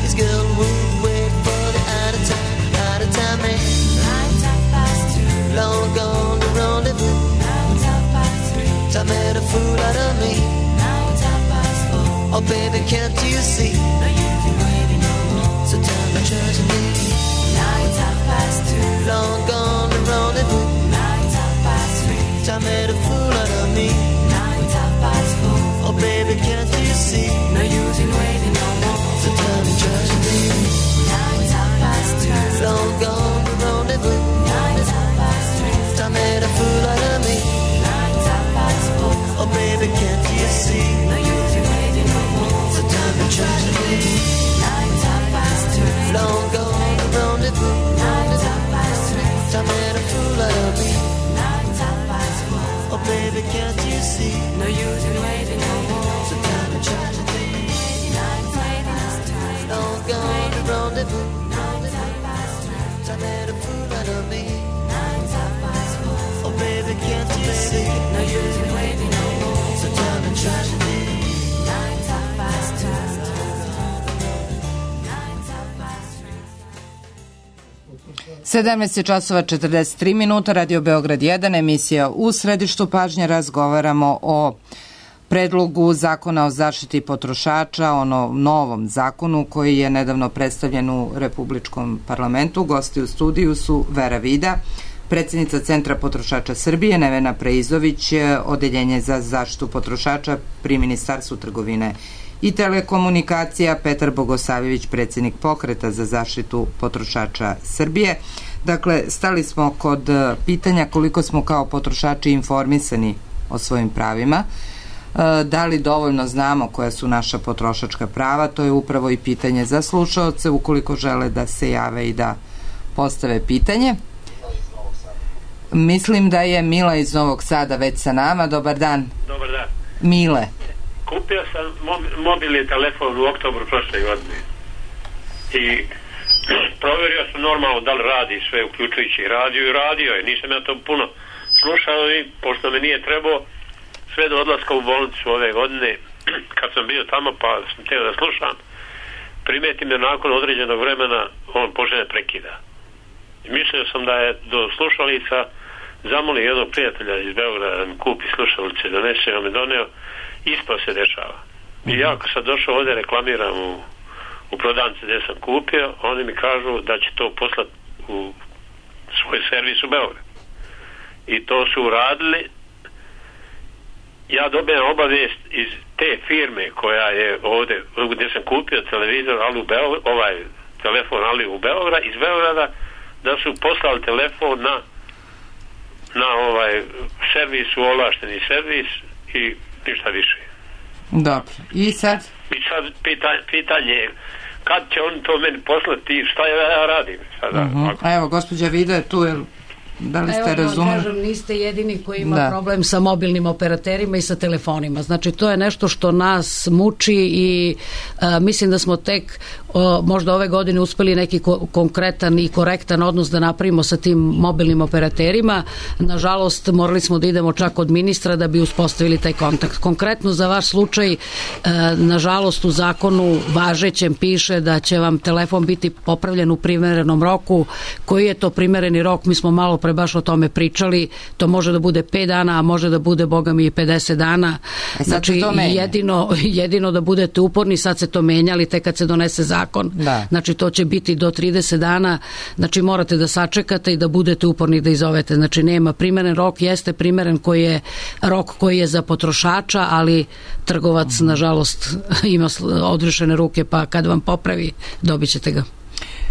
This girl won't wait for the out of time man. Long gone the rendezvous. Time made a fool out of me. Oh baby, can't you see? So time to try to be. Now it's 2:30. Long gone the rendezvous. Now it's 3:30. Time made a fool out of me. Now it's 4:30. Oh baby, can't you see? No use in waiting no more. So time to try to be. Now it's 2:30. Long gone the rendezvous. Now it's 3:30. Time made a fool out of me. Now it's 4:30. Oh baby, can't you see? No use in waiting no more. So time to try to be. Long gone the rendezvous. Time made a fool out of me. Oh baby, can't you see? No use in waiting no more. So time to try to be. Long gone the rendezvous. Time made a fool out of me. Oh baby, can't you see? No use in waiting no more. So time to try to be. 17 časova 43 minuta, Radio Beograd 1, emisija U središtu pažnje. Razgovaramo o predlogu zakona o zaštiti potrošača, o novom zakonu koji je nedavno predstavljen u Republičkom parlamentu. Gosti u studiju su Vera Vida, predsjednica Centra potrošača Srbije, Nevena Preizović, Odeljenje za zaštitu potrošača pri Ministarstvu trgovine i telekomunikacija, Petar Bogosavljević, predsjednik Pokreta za zaštitu potrošača Srbije. Dakle, stali smo kod pitanja koliko smo kao potrošači informisani o svojim pravima, da li dovoljno znamo koja su naša potrošačka prava. To je upravo i pitanje za slušaoce ukoliko žele da se jave i da postave pitanje. Mislim da je Mila iz Novog Sada već sa nama. Dobar dan. Dobar dan. Mile. Kupio sam mobilni telefon u oktobru prošle godine i provjerio sam normalno da li radi sve, uključujući i radio je, nisam ja to puno slušao i pošto me nije trebao sve do odlaska u bolnicu ove godine, kad sam bio tamo pa sam htio da slušam, primetim da nakon određenog vremena on počne prekida. I mislio sam da je do slušalica zamolio jednog prijatelja iz Beograda da mi kupi slušalice, donese, on me doneo. Isto se dešava. I ja kad sam došao ovdje reklamiram u prodavnici gdje sam kupio, oni mi kažu da će to poslati u svoj servis u Beograd. I to su uradili. Ja dobijem obavijest iz te firme koja je ovdje, gdje sam kupio televizor, ali ovaj telefon ali u Beograd, iz Beograda, da su poslali telefon na ovaj servis, u ovlašteni servis i ništa više. Dobro. I sad pitanje je kad će oni to meni poslati i šta ja radim sada? A evo, gospođa Vida je tu, da li ste razumeli? Kažem, niste jedini koji ima problem sa mobilnim operaterima i sa telefonima. Znači, to je nešto što nas muči i mislim da smo tek možda ove godine uspeli neki konkretan i korektan odnos da napravimo sa tim mobilnim operaterima. Nažalost, morali smo da idemo čak od ministra da bi uspostavili taj kontakt. Konkretno za vaš slučaj, nažalost, u zakonu važećem piše da će vam telefon biti popravljen u primerenom roku. Koji je to primereni rok? Mi smo malo pre baš o tome pričali, to može da bude 5 dana, a može da bude, boga mi, 50 dana. Znači, jedino da budete uporni, sad se to menjali, tek kad se donese zakon. Znači, to će biti do 30 dana, znači morate da sačekate i da budete uporni da izovete. Znači, nema primeren rok, jeste primeren koji je rok koji je za potrošača, ali trgovac, nažalost, ima odrešene ruke, pa kad vam popravi, dobit ćete ga.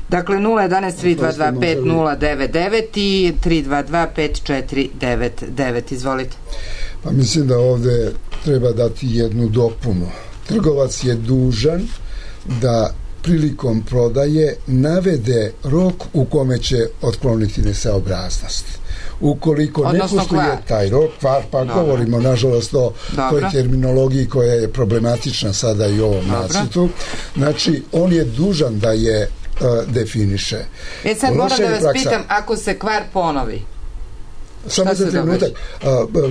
Dakle, 011-322-5099 i 322-5499. Izvolite. Pa mislim da ovde treba dati jednu dopunu. Trgovac je dužan da prilikom prodaje navede rok u kome će otkloniti nesaobraznost. Ukoliko ne poštuje taj rok, kvar, pa govorimo nažalost o toj terminologiji koja je problematična sada i u ovom nacrtu, znači on je dužan da je definiše. Sad moram da vas pitam, ako se kvar ponovi, samo za trenutak,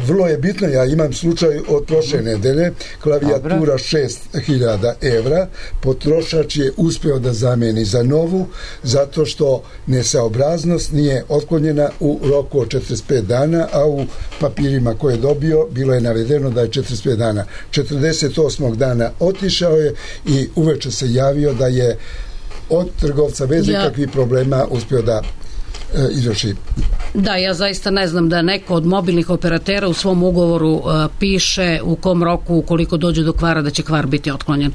vrlo je bitno, ja imam slučaj od prošle nedelje, klavijatura 6.000 evra, potrošač je uspeo da zameni za novu, zato što nesaobraznost nije otklonjena u roku od 45 dana, a u papirima koje je dobio bilo je navedeno da je 45 dana. 48. dana otišao je i uveče se javio da je od trgovca bez ikakvih problema uspio da izvrši. Da, ja zaista ne znam da neko od mobilnih operatera u svom ugovoru piše u kom roku, ukoliko dođe do kvara, da će kvar biti otklonjen.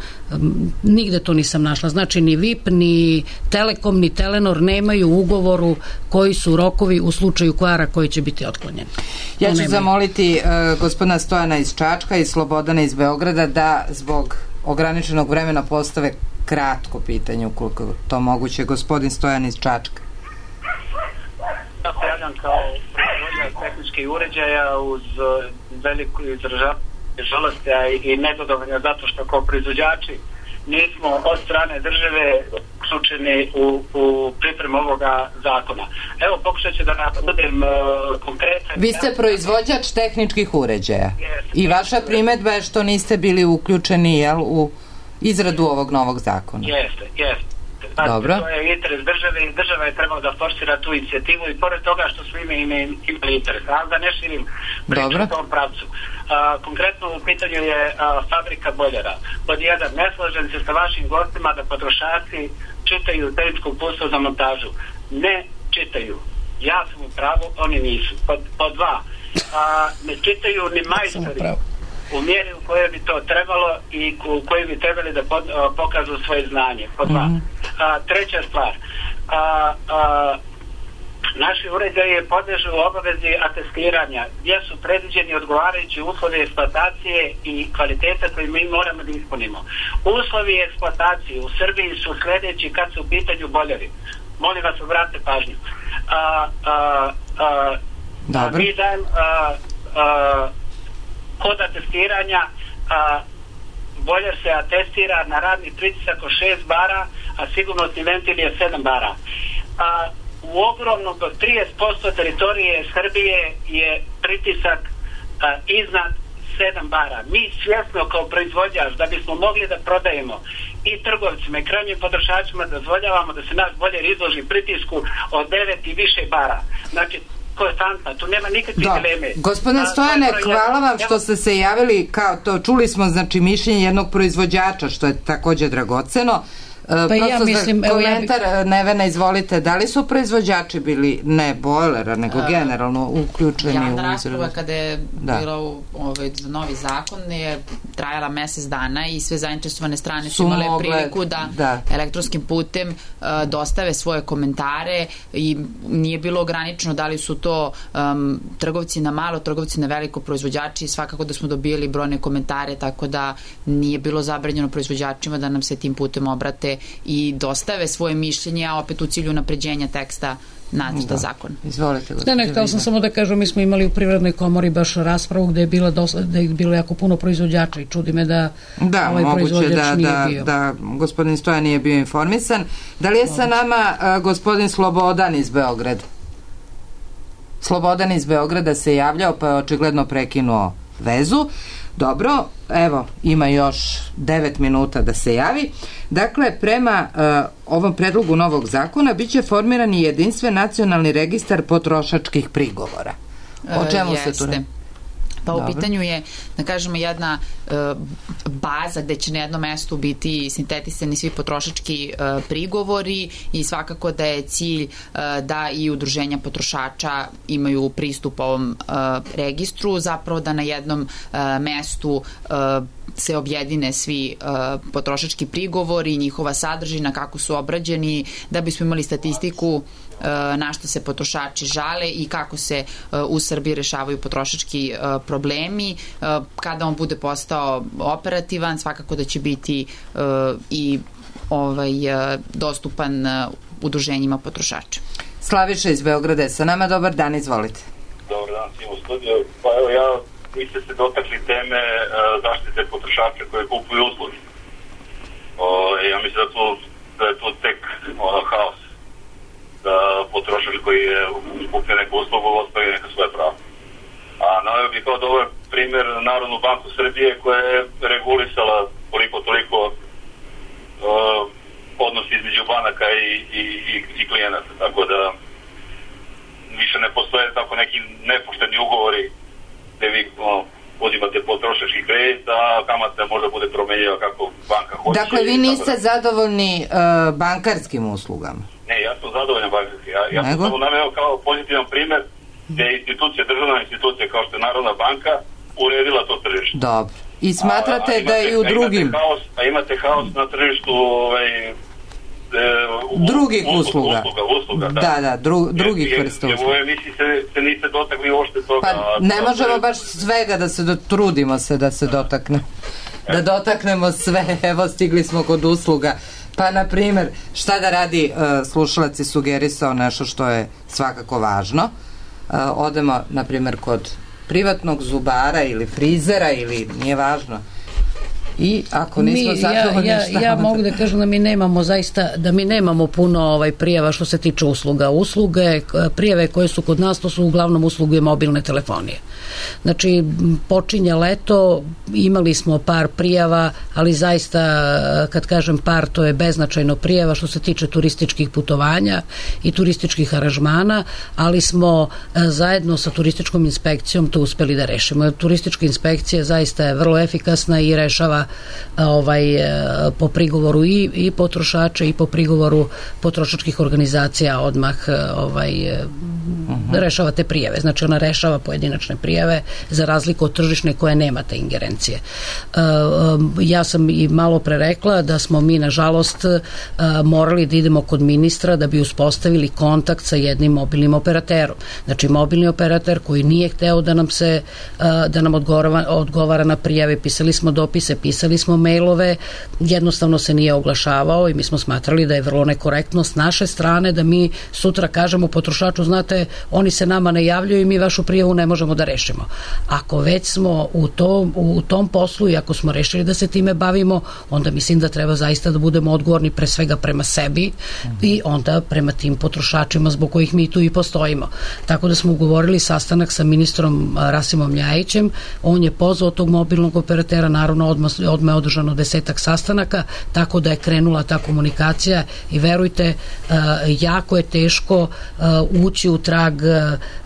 Nigde to nisam našla. Znači, ni VIP, ni Telekom, ni Telenor nemaju u ugovoru koji su rokovi u slučaju kvara koji će biti otklonjen. Ja ću zamoliti gospodina Stojana iz Čačka i Slobodana iz Beograda da zbog ograničenog vremena postave kratko pitanje, ukoliko to moguće. Gospodin Stojan iz Čačka. Ja se javljam kao proizvođač tehničkih uređaja uz veliku izražavanje žalosti i nezadovoljno zato što kao proizvođači nismo od strane države uključeni u pripremu ovoga zakona. Evo, pokušat ću da budem konkretan. Vi ste proizvođač tehničkih uređaja i vaša primedba je što niste bili uključeni u izradu ovog novog zakona. Jeste. Dobro. To je interes države i država je trebala da forsira tu inicijativu i pored toga što smo imali interes, ali da ne širim priču u tom pravcu. Konkretno u pitanju je fabrika bojlera. Pod jedan, ne slažem se sa vašim gostima da potrošači čitaju tehničku uputstvo za montažu. Ne čitaju. Ja sam u pravu, oni nisu. Pod dva, ne čitaju ni majstori u mjeri u kojoj bi to trebalo i u kojoj bi trebali da pokažu svoje znanje. Pod dva. Treća stvar, naši uređaji podležu obavezi atestiranja gdje su predviđeni odgovarajući uslovi eksploatacije i kvaliteta koji mi moramo da ispunimo. Uslovi eksploatacije u Srbiji su sljedeći kad su u pitanju bojleri. Molim vas, obratite pažnju. Mi dajem kod atestiranja bojler se atestira na radni pritisak od 6 bara, a sigurnosni ventil je 7 bara. U ogromnom 30% teritorije Srbije je pritisak iznad 7 bara. Mi svjesno kao proizvođač, da bismo mogli da prodajemo i trgovcima i krajnjim potrošačima, dozvoljavamo da se naš bojler izloži pritisku od 9 i više bara. Znači, konstantna, tu nema nikakve dileme. Gospodine Stojane, hvala vam što ste se javili, kao to čuli smo, znači, mišljenje jednog proizvođača, što je takođe dragoceno. Komentar, Nevena, izvolite, da li su proizvođači bili, ne bojlera, nego generalno uključeni u izradu? Rasprava kada je bilo novi zakon je trajala mesec dana i sve zainteresovane strane su imale priliku da elektronskim putem dostave svoje komentare i nije bilo ograničeno da li su to trgovci na malo, trgovci na veliko, proizvođači, svakako da smo dobili brojne komentare, tako da nije bilo zabranjeno proizvođačima da nam se tim putem obrate i dostave svoje mišljenje, a opet u cilju napređenja teksta nacrta zakona. Izvolite. Htela sam samo da kažem, mi smo imali u Privrednoj komori baš raspravu gde je bilo jako puno proizvođača i čudi me da ovaj proizvođač nije bio. Da gospodin Stojan nije bio informisan. Da li je sa nama gospodin Slobodan iz Beograda? Slobodan iz Beograda se javljao, pa je očigledno prekinuo vezu. Dobro, evo, ima još 9 minuta da se javi. Dakle, prema ovom predlogu novog zakona biće formiran i jedinstven nacionalni registar potrošačkih prigovora. O čemu se tu radi? Pa u pitanju je, da kažemo, jedna baza gde će na jednom mestu biti sintetisani svi potrošački prigovori i svakako da je cilj da i udruženja potrošača imaju pristup ovom registru, zapravo da na jednom mestu se objedine svi potrošački prigovori, njihova sadržina, kako su obrađeni, da bismo imali statistiku na što se potrošači žale i kako se u Srbiji rešavaju potrošački problemi. Kada on bude postao operativan, svakako da će biti i dostupan udruženjima potrošača. Slaviša iz Beograda je sa nama, dobar dan, izvolite. Dobar dan, svim u studiju. Pa evo, vi ste se dotakli teme zaštite potrošača koje kupuju usluge. Ja mislim da je tu tek haos. Da potrošač koji je kupio neku uslugu ostvari neka svoje prava. A naveo bih kao dobar primjer Narodnu banku Srbije koja je regulisala koliko toliko odnos između banaka i klijenata, tako da više ne postoje tako neki nepošteni ugovori gde vi uzimate potrošački kredit, a kamata možda bude promenjiva kako banka hoće. Dakle, vi niste zadovoljni bankarskim uslugama? Ne, ja sam zadovoljan bankarski. Ja sam samo naveo kao pozitivan primjer gde je institucija, državna institucija kao što je Narodna banka uredila to tržište. Dobro. I smatrate da je i u drugim... Imate haos na tržištu drugih usluga. Da, drugih vrsta usluga. U emisiji se niste dotakli uopšte toga. Pa ne možemo baš svega da se trudimo se da se dotaknemo. Da dotaknemo sve, evo stigli smo kod usluga. Pa, na primjer, šta da radi, slušalac je sugerisao nešto što je svakako važno. Odemo, na primjer, kod privatnog zubara ili frizera ili nije važno. I ako nismo zadovoljni ja mogu da kažem da mi nemamo zaista, da mi nemamo puno prijava što se tiče usluga. Usluge, prijave koje su kod nas, to su uglavnom usluge mobilne telefonije. Znači, počinje leto, imali smo par prijava, ali zaista, kad kažem par, to je beznačajno prijava što se tiče turističkih putovanja i turističkih aranžmana, ali smo zajedno sa turističkom inspekcijom to uspeli da rešimo. Turistička inspekcija zaista je vrlo efikasna i rešava po prigovoru i potrošača i po prigovoru potrošačkih organizacija odmah rešava te prijave. Znači ona rešava pojedinačne prijave za razliku od tržišne koje nema te ingerencije. Ja sam i malo pre rekla da smo mi nažalost morali da idemo kod ministra da bi uspostavili kontakt sa jednim mobilnim operaterom. Znači mobilni operator koji nije hteo da nam odgovara na prijave, pisali smo dopise, pisali smo mailove, jednostavno se nije oglašavao i mi smo smatrali da je vrlo nekorektno s naše strane da mi sutra kažemo potrošaču, znate, oni se nama ne javljaju i mi vašu prijavu ne možemo da rešimo. Ako već smo u tom poslu i ako smo rešili da se time bavimo, onda mislim da treba zaista da budemo odgovorni pre svega prema sebi i onda prema tim potrošačima zbog kojih mi tu i postojimo. Tako da smo ugovorili sastanak sa ministrom Rasimom Ljajićem, on je pozvao tog mobilnog operatera, naravno odmah je održano 10 sastanaka, tako da je krenula ta komunikacija i verujte, jako je teško ući u trag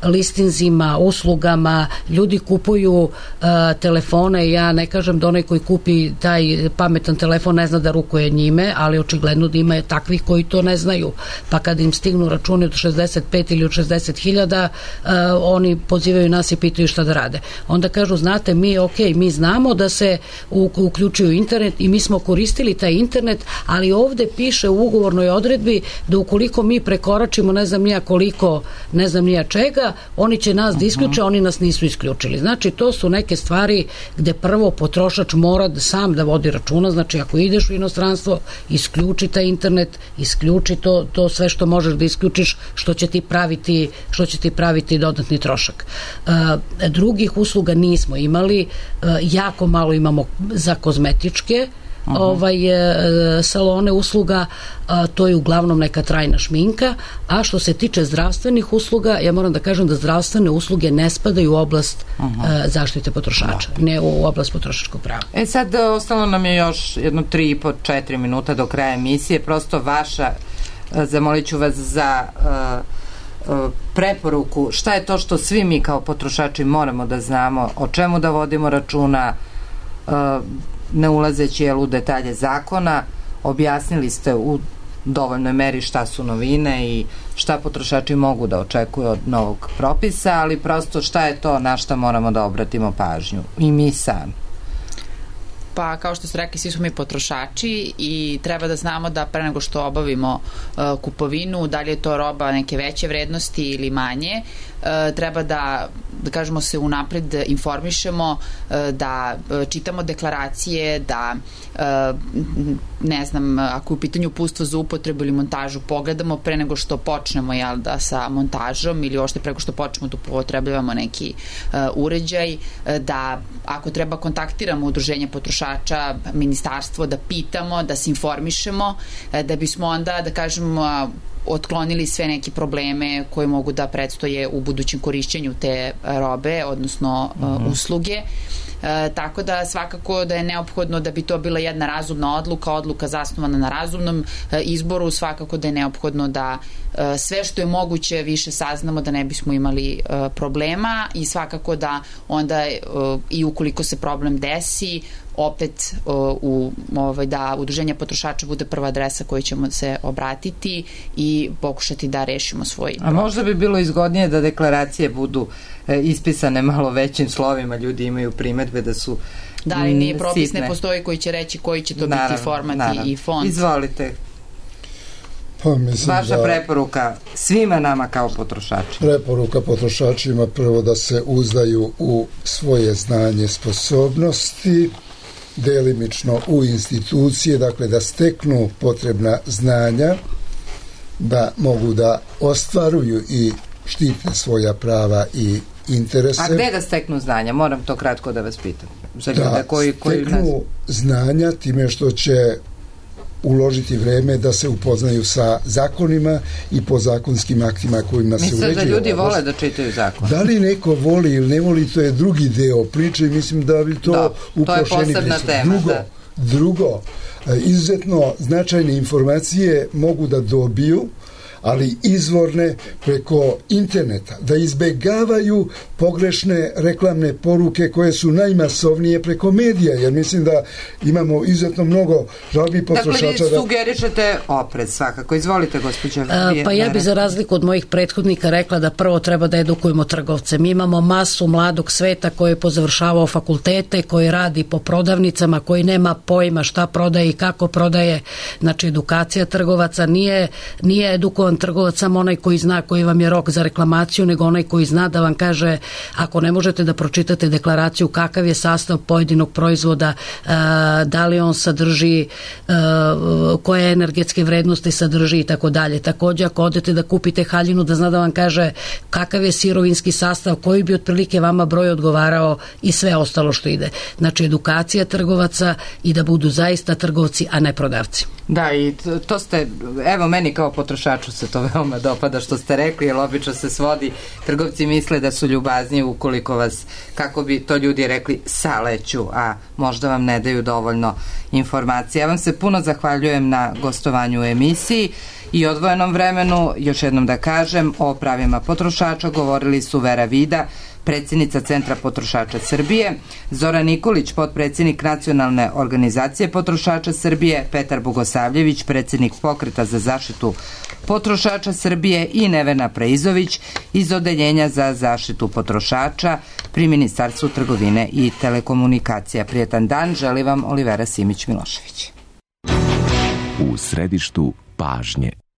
listinzima, uslugama, ljudi kupuju telefone, ja ne kažem da onaj koji kupi taj pametan telefon ne zna da rukuje njime, ali očigledno da ima takvih koji to ne znaju, pa kad im stignu računi od 65 ili od 60.000, oni pozivaju nas i pitaju šta da rade. Onda kažu, znate, mi znamo da se uključuju internet i mi smo koristili taj internet, ali ovde piše u ugovornoj odredbi da ukoliko mi prekoračimo ne znam nija čega, oni će nas da isključe, oni nas nisu isključili. Znači, to su neke stvari gde prvo potrošač mora sam da vodi računa, znači ako ideš u inostranstvo, isključi taj internet, isključi to sve što možeš da isključiš, što će ti praviti dodatni trošak. Drugih usluga nismo imali, jako malo imamo za kozmetičke salone usluga, to je uglavnom neka trajna šminka, a što se tiče zdravstvenih usluga, ja moram da kažem da zdravstvene usluge ne spadaju u oblast zaštite potrošača, ne u oblast potrošačkog prava. Sad ostalo nam je još jedno 3,5-4 minuta do kraja emisije, prosto vaša, zamolit ću vas za preporuku, šta je to što svi mi kao potrošači moramo da znamo, o čemu da vodimo računa, ne ulazeći u detalje zakona. Objasnili ste u dovoljnoj meri šta su novine i šta potrošači mogu da očekuju od novog propisa, ali prosto šta je to na šta moramo da obratimo pažnju i mi sami. Pa kao što ste rekli, svi smo mi potrošači i treba da znamo da pre nego što obavimo kupovinu, da li je to roba neke veće vrednosti ili manje, treba da kažemo se unapred informišemo, da čitamo deklaracije, da ne znam, ako je u pitanju uputstvo za upotrebu ili montažu, pogledamo pre nego što počnemo sa montažom ili uopšte preko što počnemo da upotrebljavamo neki uređaj, da ako treba kontaktiramo udruženje potrošača, ministarstvo, da pitamo, da se informišemo, da bismo onda, da kažemo, otklonili sve neke probleme koje mogu da predstoje u budućem korišćenju te robe, odnosno usluge. Tako da svakako da je neophodno da bi to bila jedna razumna odluka zasnovana na razumnom izboru, svakako da je neophodno da sve što je moguće više saznamo da ne bismo imali problema i svakako da onda i ukoliko se problem desi, opet da udruženje potrošača bude prva adresa koju ćemo se obratiti i pokušati da rešimo svoj problem. A možda bi bilo izgodnije da deklaracije budu ispisane malo većim slovima, ljudi imaju primetbe da su da, ali nije propis, ne postoji koji će reći koji će to biti format i font. Izvolite. Vaša preporuka svima nama kao potrošači. Preporuka potrošačima prvo da se uzdaju u svoje znanje, sposobnosti, delimično u institucije, dakle da steknu potrebna znanja, da mogu da ostvaruju i štite svoja prava i interese. A gde da steknu znanja? Moram to kratko da vas pitam. Da steknu znanja time što će uložiti vreme da se upoznaju sa zakonima i podzakonskim aktima kojima se uređuje. Mislim da ljudi vole da čitaju zakon. Da li neko voli ili ne voli, to je drugi deo priče i mislim da bi to uprošeni to je posebna tema. Drugo, izuzetno značajne informacije mogu da dobiju, ali izvorne preko interneta, da izbegavaju pogrešne reklamne poruke koje su najmasovnije preko medija, jer mislim da imamo izuzetno mnogo žalbi potrošača. Dakle, vi sugerišete oprez svakako. Izvolite, gospođa. Pa ja bi za razliku od mojih prethodnika rekla da prvo treba da edukujemo trgovce. Mi imamo masu mladog sveta koji je pozavršavao fakultete, koji radi po prodavnicama, koji nema pojma šta prodaje i kako prodaje. Znači, edukacija trgovaca nije edukovan trgovac samo onaj koji zna koji vam je rok za reklamaciju, nego onaj koji zna da vam kaže ako ne možete da pročitate deklaraciju kakav je sastav pojedinog proizvoda, da li on sadrži, koje energetske vrednosti sadrži i tako dalje. Također ako odete da kupite haljinu, da zna da vam kaže kakav je sirovinski sastav, koji bi otprilike vama broj odgovarao i sve ostalo što ide. Znači edukacija trgovaca i da budu zaista trgovci, a ne prodavci. Da, i to ste, evo meni kao potrošaču se to veoma dopada što ste rekli, jer obično se svodi, trgovci misle da su ljubazniji ukoliko vas, kako bi to ljudi rekli, saleću, a možda vam ne daju dovoljno informacije. Ja vam se puno zahvaljujem na gostovanju u emisiji i odvojenom vremenu. Još jednom da kažem, o pravima potrošača govorili su Vera Vida, predsjednica Centra potrošača Srbije, Zoran Nikolić, potpredsjednik Nacionalne organizacije potrošača Srbije, Petar Bogosavljević, predsjednik Pokreta za zaštitu potrošača Srbije i Nevena Preizović iz Odeljenja za zaštitu potrošača pri Ministarstvu trgovine i telekomunikacija. Prijetan dan, želi vam Olivera Simić-Milošević. U središtu pažnje.